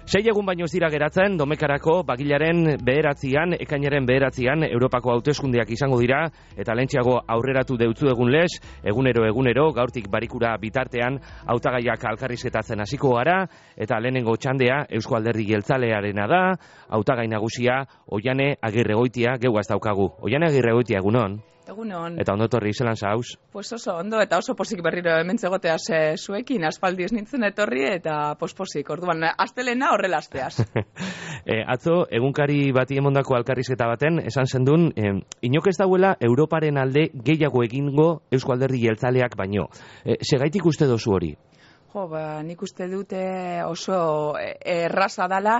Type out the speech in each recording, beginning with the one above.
6 egun baino ez dira geratzen, Domekarako bagilaren 9, ekainaren 9, Europako hauteskundeak izango dira, eta lehentxeago aurreratu deutzu egun lez, egunero, gaurtik barikura bitartean, hautagaiak alkarrizketatzen hasiko gara, eta lehenengo txandea Eusko Alderdi Jeltzalearena da, hautagai nagusia Oiane Agirregoitia, geuaz daukagu. Oiane Agirregoitia, egunon? Egunon. Eta ondo etorri, zelan zauz? Pues oso ondo, eta oso posik berriro hemen zegoteaz zuekin, aspaldi ez nintzen etorri, eta posposik, orduan, astelena horrela asteaz. Atzo, egunkari bati emondako alkarrizketa baten, esan zendun, inok ez dauela Europaren alde gehiago egingo Eusko Alderdi Jeltzaleak baino. Segaitik uste dozu hori? Nik uste dute oso erraza dala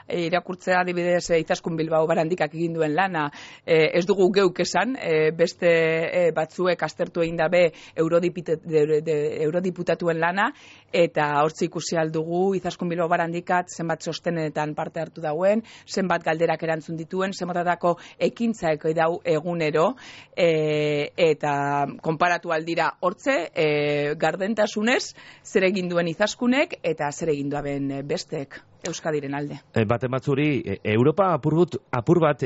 irakurtzea adibidez Izaskun Bilbao Barandikak egin duen lana. Ez dugu geuk esan, beste batzuek aztertu egin dabe eurodiputatuen lana, eta hortzi ikusi aldugu Izaskun Bilbao Barandikat zenbat sostenetan parte hartu dauen, zenbat galderak erantzun dituen, zenbatatako ekintzaek dau egunero, eta konparatu aldira hortze, gardentasunez, zer egin duen Izaskunek eta zer egin duen bestek Euskadiren alde. Baten batzuri, Europa apur bat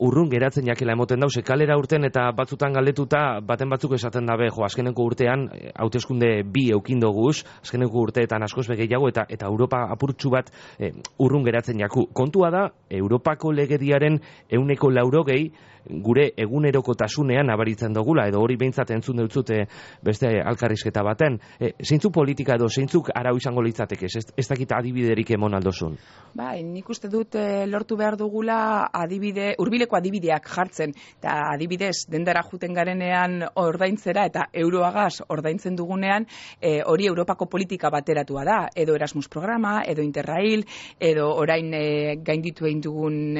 urrun geratzen jakela emoten dauz, kalera urten eta batzutan galdetuta baten batzuk esaten dabe, azkeneko urtean, hauteskunde 2 eukindoguz, azkeneko urteetan askoz gehiago eta Europa apurtxu bat urrun geratzen jaku. Kontua da, Europako legediaren 180 gure egunerokotasunean abaritzen dugula, edo hori behintzat entzun deutzute beste alkarrizketa baten. Zeintzuk politika edo zeintzuk arau izango litzateke, ez dakit adibiderik emon aldozun? Nik uste dut lortu behar dugula hurbileko adibideak jartzen, eta adibidez dendara juten garenean ordaintzera eta euroagaz ordaintzen dugunean, hori Europako politika bateratua da, edo Erasmus programa, edo Interrail, edo orain gainditu egin dugun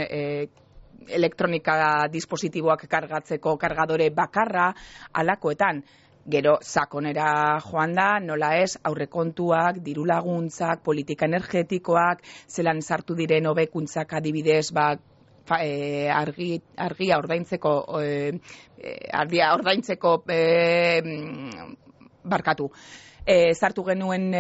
elektronika dispositiboak kargatzeko kargadore bakarra, alakoetan. Gero sakonera joan da, nola ez, aurrekontuak, dirulaguntzak, politika energetikoak, zelan sartu diren hobekuntzak adibidez, argia ordaintzeko barkatu. Sartu genuen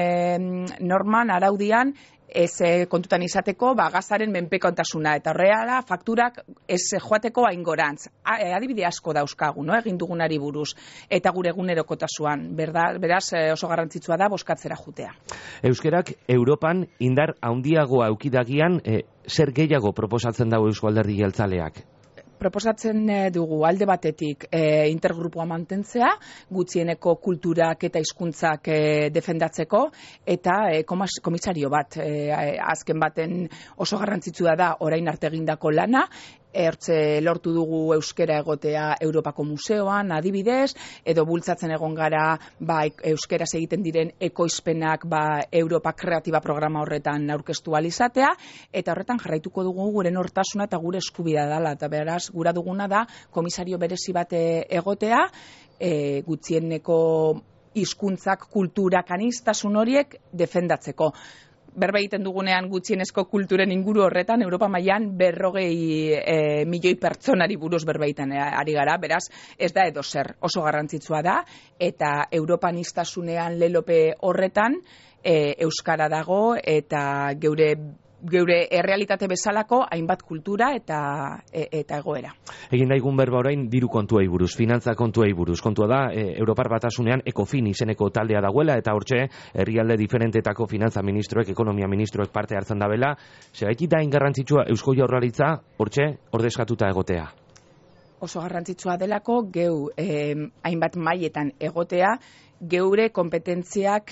norman, araudian, ez kontutan izateko gazaren menpekontasuna, eta horrela fakturak ez joateko haingorantz. Adibide asko dauzkagu, egin dugunari buruz, eta gure egunerokotasuan, beraz oso garrantzitsua da bozkatzera jutea. Euskerak Europan indar handiagoa eukidagian, zer gehiago proposatzen dago Eusko Alderdi Jeltzaleak? Proposatzen dugu alde batetik intergrupua mantentzea, gutxieneko kulturak eta hizkuntzak defendatzeko, eta komisario bat, azken baten oso garrantzitsua da orain arte egindako lana, Hortze lortu dugu euskera egotea Europako Museoan, adibidez, edo bultzatzen egon gara euskeraz egiten diren ekoizpenak Europa Kreatiba programa horretan aurkeztu alizatea, eta horretan jarraituko dugu gure nortasuna eta gure eskubidea dela, eta beraz, gura duguna da komisario berezi bat egotea, gutxieneko hizkuntzak, kulturak, aniztasun horiek defendatzeko. Berba egiten dugunean gutxienezko kulturen inguru horretan, Europa mailan 40 milioi pertsonari buruz berba egiten ari gara, beraz ez da edo zer, oso garrantzitsua da, eta Europan iztasunean lelope horretan euskara dago, eta geure errealitate bezalako hainbat kultura eta egoera. Egin daigun berba orain diru kontuei buruz, finantza kontuei buruz. Kontua da, Europar Batasunean ECOFIN izeneko taldea dagoela, eta hortxe, herrialde diferentetako finantza ministroek, ekonomia ministroek parte hartzen dabela, zergatik da garrantzitsua Eusko Jaurlaritza hortxe ordezkatuta egotea? Oso garrantzitsua delako, hainbat mailetan egotea, geure kompetentziak,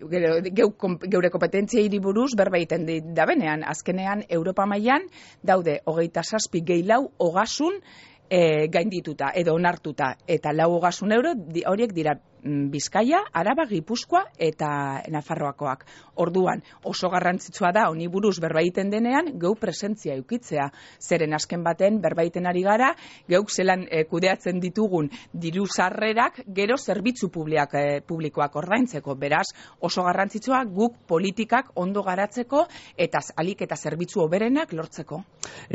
geure kompetentziei buruz berba egiten dabenean. Azkenean, Europa mailan daude 27 gehi 4 ogasun gaindituta edo onartuta, eta 4 ogasun euro horiek dira Bizkaia, Araba, Gipuzkoa eta Nafarroakoak. Orduan, oso garrantzitsua da honi buruz berba egiten denean, geu presentzia eukitzea. Zeren azken baten berba egiten ari gara, geuk zelan kudeatzen ditugun diru sarrerak gero zerbitzu publikoak ordaintzeko. Beraz, oso garrantzitsua guk politikak ondo garatzeko eta alik eta zerbitzu hoberenak lortzeko.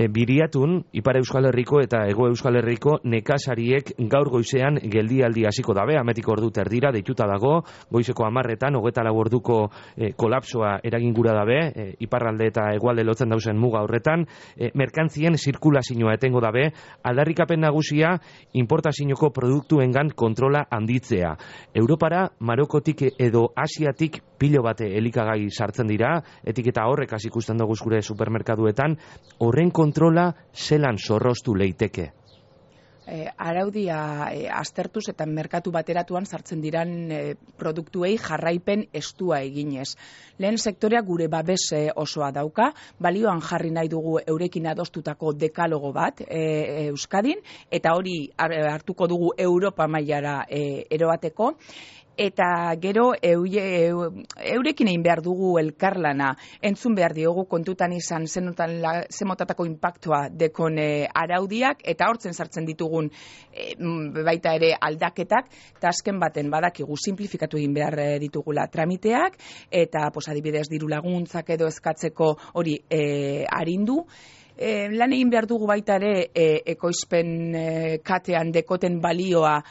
Biriatun, Ipar Euskal Herriko eta Hego Euskal Herriko nekazariek gaur goizean geldialdi hasiko dabe, ametiko ordute erdira deituta dago, goizeko 10etan 24 orduko kolapsoa eragin gura dabe, iparralde eta hegoalde lotzen dauzen muga horretan, merkantzien zirkulazioa etengo dabe, aldarrikapen nagusia importazioko produktuengan kontrola handitzea. Europara, Marokotik edo Asiatik pilo bate elikagai sartzen dira, etiketa horrek hasi ikusten dugu gure supermerkaduetan, horren kontrola zelan zorroztu leiteke? Araudia aztertuz eta merkatu bateratuan sartzen diran produktuei jarraipen estua eginez. Lehen sektorea gure babes osoa dauka, balioan jarri nahi dugu eurekin adostutako dekalogo bat Euskadin, eta hori hartuko dugu Europa mailara eroateko, eta gero eurekin egin behar dugu elkarlana, entzun behar diogu kontutan izan zemotatako impactua dekon araudiak, eta hortzen sartzen ditugun baita ere aldaketak, eta azken baten badakigu simplifikatu egin behar ditugula tramiteak, eta adibidez diru laguntzak edo eskatzeko hori arindu, lan egin behar dugu baita ere ekoizpen katean dekoten balioa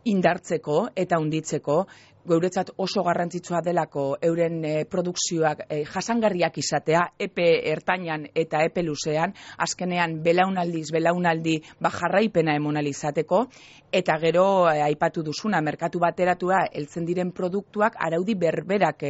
indartzeko eta hunditzeko, geuretzat oso garrantzitsua delako euren produkzioak jasangarriak izatea, epe ertainan eta epe luzean, azkenean belaunaldi jarraipena emonal izateko, eta gero aipatu duzuna, merkatu bateratua heltzen diren produktuak araudi berberak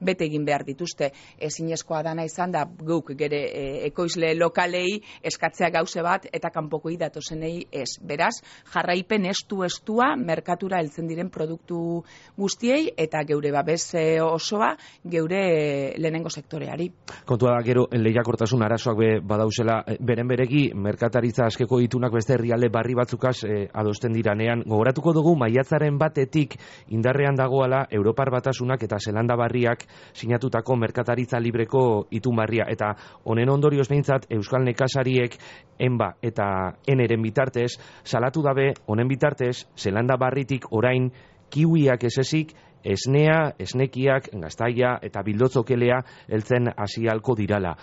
bete egin behar dituzte. Ezinezkoa dana izan da guk gere ekoizle lokalei eskatzea gauze bat eta kanpokoi datozenei ez. Beraz, jarraipen estua merkatura heltzen diren produktu guztiei eta geure babes osoa geure lehenengo sektoreari. Kontua da gero lehiakortasun arazoak badauzela beren beregi merkataritza askeko itunak beste herrialde barri batzukaz adosten diranean. Gogoratuko dugu maiatzaren batetik indarrean dagoala Europar Batasunak eta Zelanda Barriak sinatutako merkataritza libreko itun barria, eta honen ondorioz behintzat Euskal Nekazariek enba eta eneren bitartez salatu dabe honen bitartez Zelanda Barritik orain kiwiak esezik, esnea, esnekiak, gaztaia eta bildotzokelea heltzen hasi halko dirala.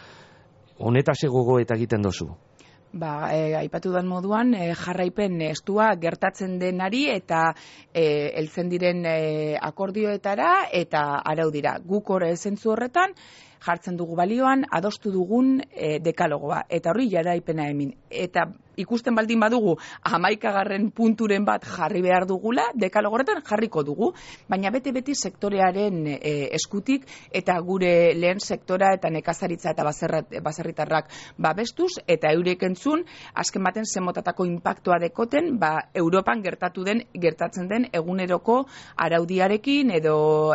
Honetaz gogo eta egiten dozu? Aipatu den moduan, jarraipen estua gertatzen denari eta heltzen diren akordioetara eta araudira. Guk zentzu horretan jartzen dugu balioan, adostu dugun dekalogoa, eta horri jaraipena hemin. Eta ikusten baldin badugu 11. punturen bat jarri behar dugula, dekalogorretan jarriko dugu, baina beti sektorearen eskutik eta gure lehen sektora eta nekazaritza eta baserritarrak babestuz eta eurek entzun, azken baten zemotatako impactua dekoten, Europan gertatzen den eguneroko araudiarekin edo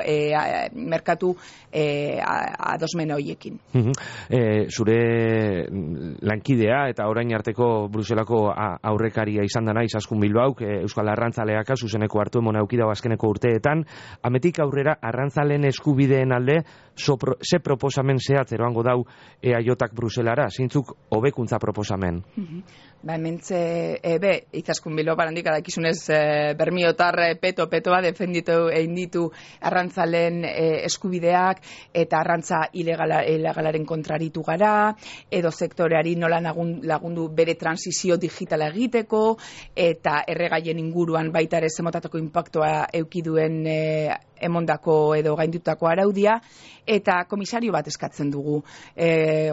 merkatu adosmen horiekin. Zure lankidea eta orain arteko Bruselako aurrekaria izan dana Izaskun Bilbauk, Euskal Arrantzaleak zuzeneko hartu emona eukidau azkeneko urteetan, ametik aurrera arrantzaleen eskubideen alde ze proposamen zehatz eroango dau EAJak Bruselara, zintzuk hobekuntza proposamen? Hementze, Izaskun Bilbao barandik adakizunez bermiotar petoa defenditu egin ditu arrantzaleen eskubideak eta arrantza ilegalaren kontraritu gara, edo sektoreari nola lagundu bere transizio digitala egiteko, eta erregaien inguruan baita ere zemotatako impactua eukiduen emondako edo gaindutako araudia, eta komisario bat eskatzen dugu.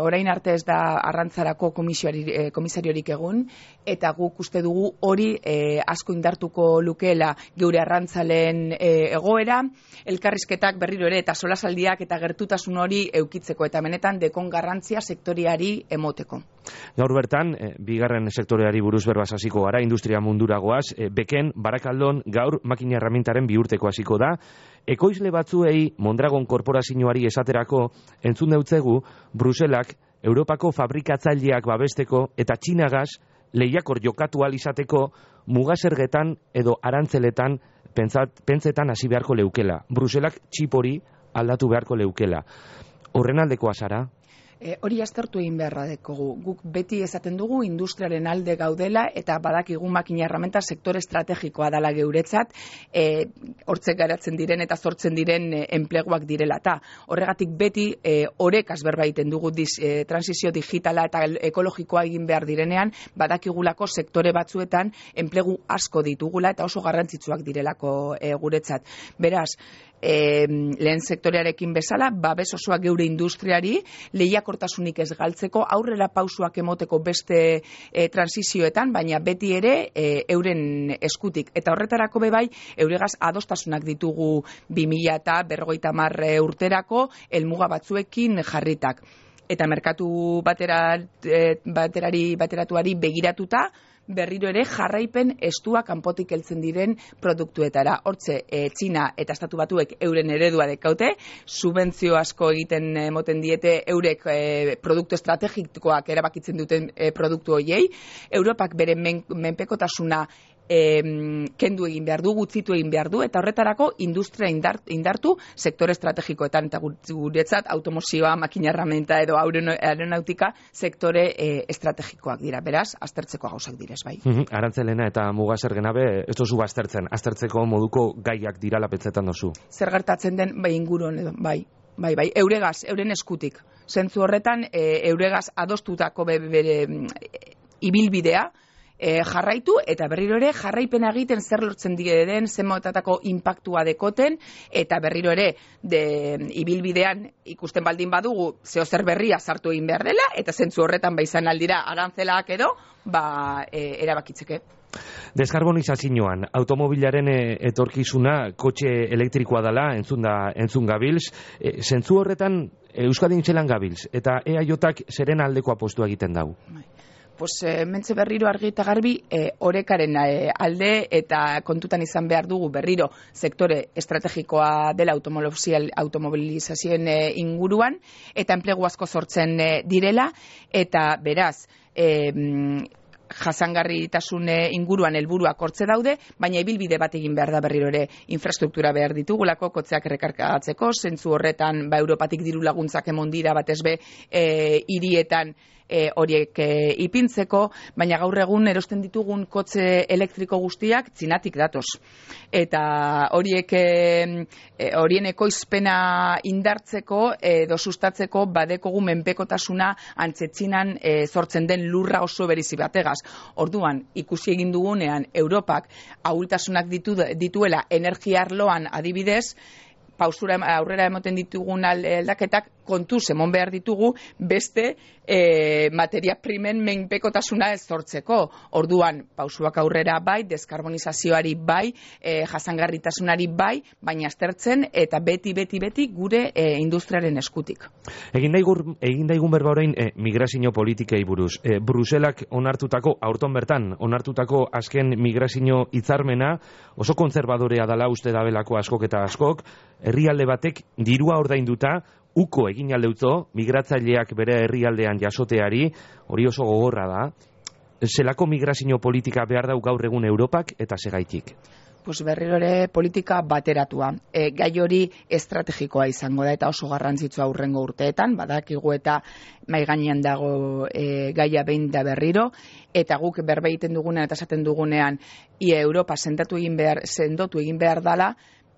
Orain arte ez da arrantzarako komisariorik egun, eta guk uste dugu hori asko indartuko lukeela geure arrantzaleen egoera, elkarrizketak berriro ere eta solasaldiak eta gertutasun hori eukitzeko, eta benetan dekon garrantzia sektoriari emoteko. Gaur bertan, bigarren sektoreari buruz berbaz hasiko gara, industria munduragoaz, Beken, Barakaldon, gaur makina erramintaren bihurteko hasiko da. Ekoizle batzuei Mondragon korporazioari esaterako entzun deutzegu Bruselak Europako fabrikatzaileak babesteko eta Txinagaz lehiakor jokatu ahal izateko mugasergetan edo arantzeletan pentsetan hasi beharko leukela. Bruselak txip hori aldatu beharko leukela. Horren aldekoa zara? Hori aztertu egin beharra dekogu. Guk beti esaten dugu industriaren alde gaudela eta badakigu makina erramenta sektore estrategikoa dela geuretzat, hortzek garatzen diren eta sortzen diren enpleguak direla. Ta horregatik beti orekaz berba egiten dugu transizio digitala eta ekologikoa egin behar direnean, badakigulako sektore batzuetan enplegu asko ditugula eta oso garrantzitsuak direlako guretzat. Beraz, lehen sektorearekin bezala, babes osoa geure industriari, lehiakortasunik ez galtzeko, aurrera pausuak emoteko beste transizioetan, baina beti ere euren eskutik. Eta horretarako bebai, euregaz adostasunak ditugu 2050 urterako, helmuga batzuekin jarritak. Eta merkatu bateratuari begiratuta, berriro ere jarraipen estua kanpotik heltzen diren produktuetara. Hortze, Txina eta Estatu Batuek euren eredua dekaute, subentzio asko egiten moten diete eurek produktu estrategikoak erabakitzen duten produktu hoiei. Europak bere menpekotasuna kendu egin behar du, gutzitu egin behar du, eta horretarako industria indartu sektore estrategikoetan, eta guretzat automozioa, makina erramenta edo aeronautika sektore estrategikoak dira, beraz, aztertzeko gauzak direz, bai. Arantzelena eta Mugazer Genabe, ez dozu aztertzeko moduko gaiak dira lapetzetan dozu. Zer gertatzen den, bai inguruan edo, bai, euregaz, euren eskutik. Zentzu horretan, euregaz adostutako bere ibilbidea, jarraitu eta berriro ere jarraipena egiten zer lortzen den, zenmotatako inpaktua dekoten, eta berriro ere ibilbidean ikusten baldin badugu zeo zer berria sartu egin behar dela, eta zentzu horretan izan aldira arantzelak edo, erabakitzeke. Deskarbonizazioan, automobilaren etorkizuna kotxe elektrikoa dela, entzun gabilz. Zentzu horretan Euskadin zelan gabilz, eta EAJak zeren aldeko apostua egiten dau? Mentxe berriro argi eta garbi orekaren alde eta kontutan izan behar dugu berriro sektore estrategikoa dela automobilizazioen inguruan eta enplegu asko sortzen direla eta beraz jasangarritasun inguruan helburuak hortze daude, baina ibilbide bat egin behar da berriro ere infrastruktura behar ditugulako, kotzeak errekargatzeko, zentzu horretan Europatik diru laguntzak emon dira batez be hirietan horiek ipintzeko, baina gaur egun erosten ditugun kotxe elektriko guztiak Txinatik datoz. Eta horien ekoizpena indartzeko edo sustatzeko badekogu menpekotasuna antzetxinan sortzen den lurra oso berizi bategaz. Orduan, ikusi egin dugunean Europak ahultasunak dituela energia arloan adibidez, pausura aurrera emoten ditugun aldaketak kontuz emon behar ditugu beste materia primen menpekotasuna ez sortzeko. Orduan, pausuak aurrera bai, deskarbonizazioari bai, jasangarritasunari bai, baina aztertzen eta beti gure industriaren eskutik. Egin daigun berba orain migrazio politikei buruz. Bruselak aurton bertan onartutako azken migrazio hitzarmena oso kontserbadorea dela uste dabelako askok eta askok, herrialde batek dirua ordainduta uko egin aldeutzo, migratzaileak bere herrialdean jasoteari, hori oso gogorra da. Zelako migrazio politika behar dau gaur egun Europak eta segaitik? Berriro ere politika bateratua. Gai hori estrategikoa izango da eta oso garrantzitsua hurrengo urteetan, badakigu eta mai gainean dago gaia behin da berriro, eta guk berba egiten dugunean eta esaten dugunean Europa sendotu egin behar dala,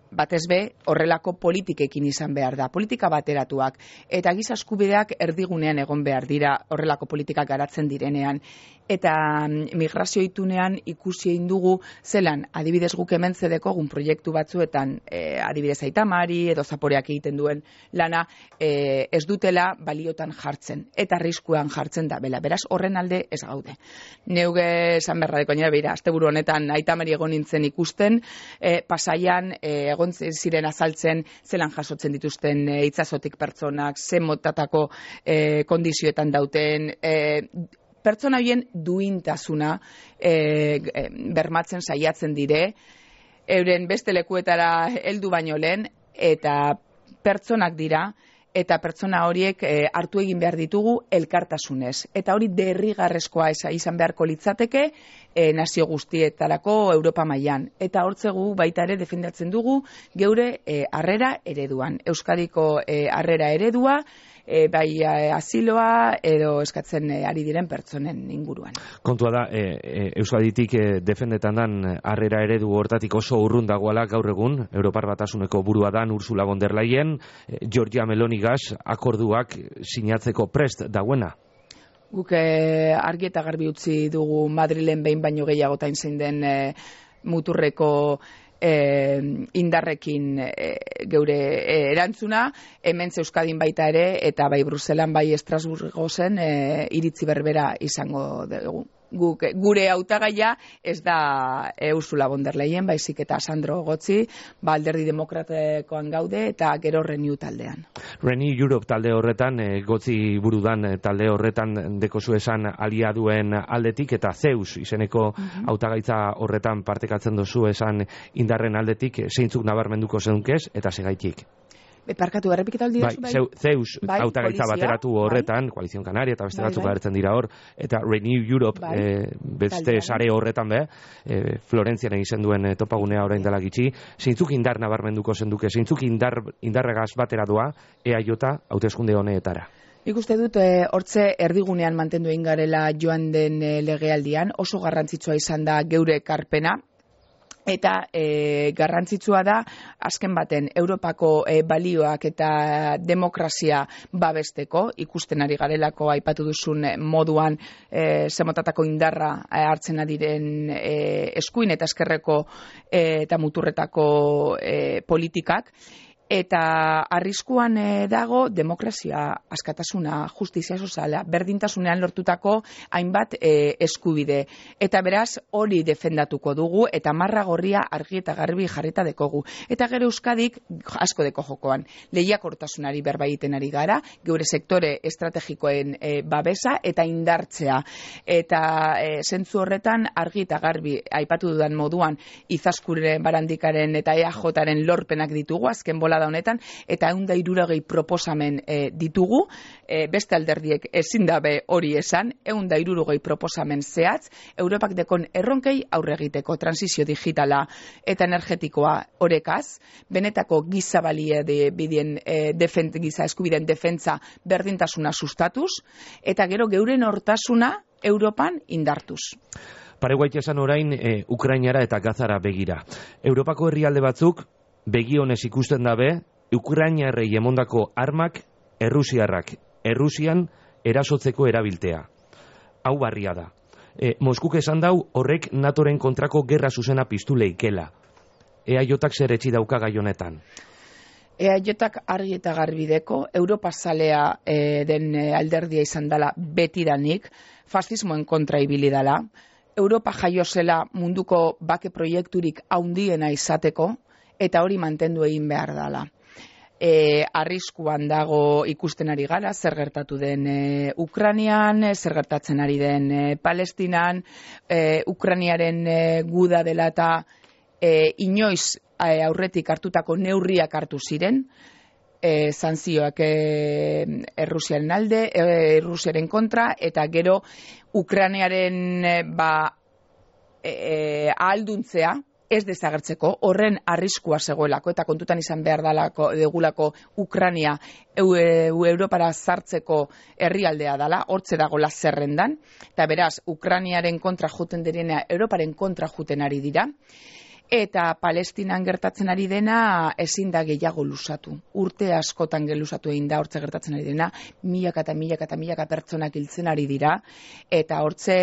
batez be horrelako politikekin izan behar da, politika bateratuak, eta giza eskubideak erdigunean egon behar dira horrelako politikak garatzen direnean. Eta migrazio itunean ikusi egin dugu zelan, adibidez guk hemen zedekogun proiektu batzuetan, adibidez Aitamari edo Zaporeak egiten duen lana, ez dutela baliotan jartzen, eta arriskuan jartzen da, beraz horren alde ez gaude. Neuge esan berra deko nire, beira, asteburu honetan Aitamari egon nintzen ikusten, Pasaian egon ziren azaltzen zelan jasotzen dituzten itsasotik pertsonak, zen motatako kondizioetan dauten, pertsona horien duintasuna bermatzen saiatzen dire, euren beste lekuetara heldu baino lehen, eta pertsonak dira, eta pertsona horiek hartu egin behar ditugu elkartasunez. Eta hori derrigarrezkoa izan beharko litzateke nazio guztietarako Europa mailan. Eta hortzegu baita ere defendatzen dugu geure harrera ereduan. Euskadiko harrera eredua, bai asiloa edo eskatzen ari diren pertsonen inguruan. Kontua da, Euskaditik defendetan dan harrera eredu hortatik oso urrun dagoela gaur egun, Europar Batasuneko burua dan Ursula von der Leyen, Giorgia Melonigaz akorduak sinatzeko prest dagoena. Guk argi eta garbi utzi dugu Madrilen behin baino gehiagotain zein den muturreko indarrekin geure erantzuna, hemen Euskadin baita ere, eta bai Bruselan bai Estrasburgo zen iritzi berbera izango dugu. Gure hautagaia ez da Ursula von der Leyen, baizik eta Sandro Gotzi, Alderdi Demokratikoan gaude eta gero Renew taldean. Renew Europe talde horretan, Gotzi burudan talde horretan dekozu esan aliaduen aldetik, eta Zeus izeneko hautagaitza horretan partekatzen dozu esan indarren aldetik, zeintzuk nabarmenduko zenunkez eta segaitik. Parkatu, errepiketa aldi duzu, bai? Zeus hautagaitza bateratu horretan, Koalizion Kanaria eta beste batzuk agertzen dira hor, eta Renew Europe beste sare horretan Florentzian egin duen topagunea orain dela gitxi, zeintzuk indar nabarmenduko zenduke, zeintzuk indarregaz batera doa EAJ hauteskunde honetara? Nik uste dut, hortze erdigunean mantendu egin garela joan den legealdian, oso garrantzitsua izan da geure ekarpena, eta garrantzitsua da, azken baten, Europako balioak eta demokrazia babesteko, ikusten ari garelako aipatu duzun moduan zemotatako indarra hartzen adiren eskuin eta eskerreko eta muturretako politikak, eta arriskuan dago demokrazia, askatasuna, justizia soziala, berdintasunean lortutako hainbat eskubide. Eta beraz, hori defendatuko dugu, eta marra gorria argi eta garbi jarrita dekogu. Eta gero Euskadik asko deko jokoan. Lehiakortasunari berba egiten ari gara, geure sektore estrategikoen babesa eta indartzea. Eta zentzu horretan argi eta garbi aipatu dudan moduan Izaskuren, Barandikaren eta EAJaren lorpenak ditugu, azken bola da honetan, eta 160 proposamen ditugu, beste alderdiek ezin dabe hori esan, 160 proposamen zehatz, Europak dekon erronkei aurre egiteko, transizio digitala eta energetikoa orekaz, benetako giza balie bidien giza eskubideen defentza berdintasuna sustatuz, eta gero geuren hortasuna Europan indartuz. Pareguait esan orain Ukrainara eta Gazara begira. Europako herrialde batzuk begionez ikusten dabe, Ukrainarrei emondako armak Errusian erasotzeko erabiltea. Hau barria da. Moskuk esan dau horrek NATOren kontrako gerra zuzena piztu leikela. EAJak zer etxi dauka gai honetan? EAJak argi eta garbideko, Europa zalea den alderdia izan dela betidanik, fascismoen kontra ibili dela, Europa jaio zela munduko bake proiekturik haundiena izateko, eta hori mantendu egin behar dela. Arriskuan dago ikusten ari gara, zer gertatu den Ukrainian, zer gertatzen ari den Palestinan, Ukrainiaren guda dela eta inoiz aurretik hartutako neurriak hartu ziren, sanzioak Errusiaren alde, Errusiaren kontra, eta gero Ukrainiaren ahalduntzea, ez desagertzeko, horren arriskua zegoelako, eta kontutan izan behar degulako Ukraina Europara sartzeko herrialdea dela, hortze dagoela zerrendan, eta beraz, Ukrainaren kontra juten direna, Europaren kontra juten ari dira, eta Palestinan gertatzen ari dena ezin da gehiago luzatu. Urte askotan luzatu egin da hortze gertatzen ari dena, milaka pertsonak hiltzen ari dira, eta hortze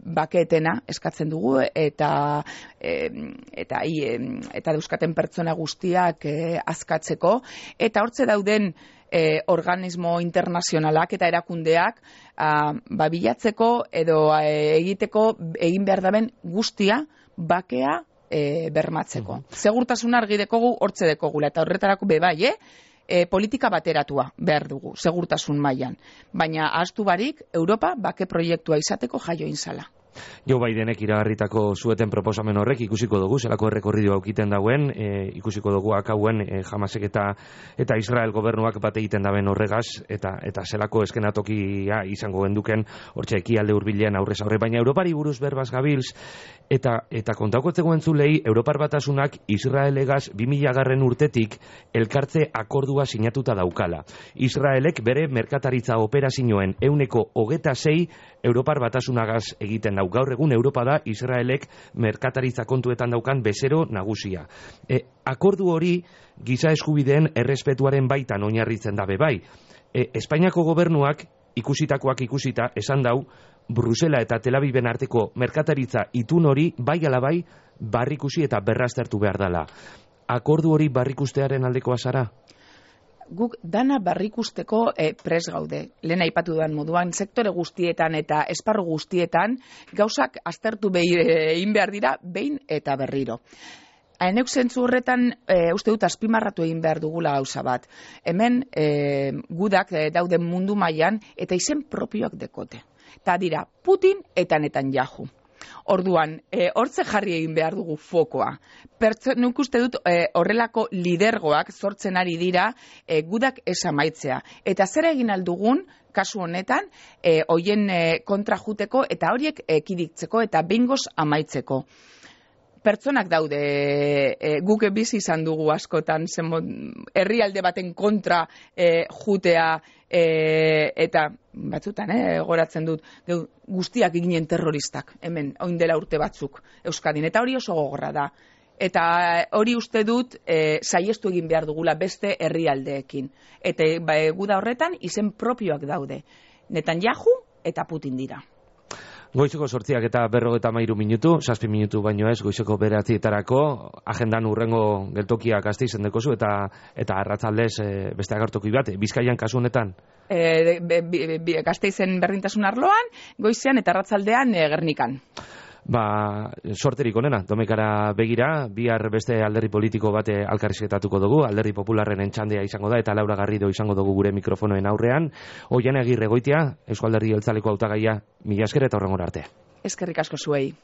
bakeetena eskatzen dugu, eta dauzkaten pertsona guztiak askatzeko, eta hortze dauden organismo internazionalak eta erakundeak bilatzeko edo egin behar daben guztia bakea bermatzeko. Segurtasuna argi dekogu hortze dekogula, eta horretarako bebai, politika bateratua behar dugu, segurtasun mailan. Baina ahaztu barik, Europa bake proiektua izateko jaio inzala. Joe Bidenek iragarritako zueten proposamen horrek ikusiko dugu, zelako errekorridu aukiten dauen, ikusiko dugu akauen Hamasek eta Israel gobernuak bat egiten daben horregaz, eta zelako eskenatokia izango genduken, hortxe ekialde hurbilean aurrez aurre, baina Europari buruz berbaz gabilz, eta kontaukotzegoen entzulei, Europar Batasunak Israelegaz 2000 urtetik elkartze akordua sinatuta daukala. Israelek bere merkataritza operazioen 26% Europar Batasunagaz egiten dau. Gaur egun Europa da Israelek merkataritza kontuetan daukan bezero nagusia. Akordu hori giza eskubideen errespetuaren baitan oinarritzen dabe bai. Espainiako gobernuak ikusitakoak ikusita esan dau Brusela eta Tel Aviven arteko merkataritza itun hori bai ala bai barrikusi eta berraztertu behar dela. Akordu hori barrikustearen aldekoa zara? Guk dana barrikusteko pres gaude. Lehen aipatu duan moduan, sektore guztietan eta esparru guztietan gauzak aztertu egin behar dira behin eta berriro. Haenek zentzu horretan uste dut azpimarratu egin behar dugula gauza bat. Hemen gudak dauden mundu mailan eta izen propioak dekote. Eta dira Putin eta Netanyahu. Orduan, hortze jarri egin behar dugu fokoa. Nik uste dut horrelako lidergoak sortzen ari dira gudak esamaitzea. Eta zer egin aldugun, kasu honetan, hoien kontra juteko eta horiek ekidiktzeko eta bingoz amaitzeko. Pertsonak daude, guk bizi izan dugu askotan, herrialde baten kontra jutea, eta batzutan, goratzen dut, guztiak ginen terroristak, hemen, oin dela urte batzuk, Euskadin, eta hori oso gogorra da. Eta hori uste dut, saiestu egin behar dugula beste herrialdeekin. Eta guda horretan, izen propioak daude. Netanyahu eta Putin dira. Goizeko 8 eta 53 minutu, 7 minutu baino ez, goizeko 9etarako, agendan urrengo geltokia Gasteizen dekozu, eta arratzaldez beste agertoki bat, Bizkaian kasu honetan? Gasteizen berdintasun arloan, goizean eta arratzaldean Gernikan. Sorterik onena, domekara begira, bihar beste alderdi politiko bate alkarrizketatuko dugu, alderdi popularren entxandea izango da, eta Laura Garrido izango dugu gure mikrofonoen aurrean. Oian Agirre Goitia, Eusko Alderdi Jeltzaleko hautagaia, mila esker eta horrengora arte. Eskerrik asko zuei.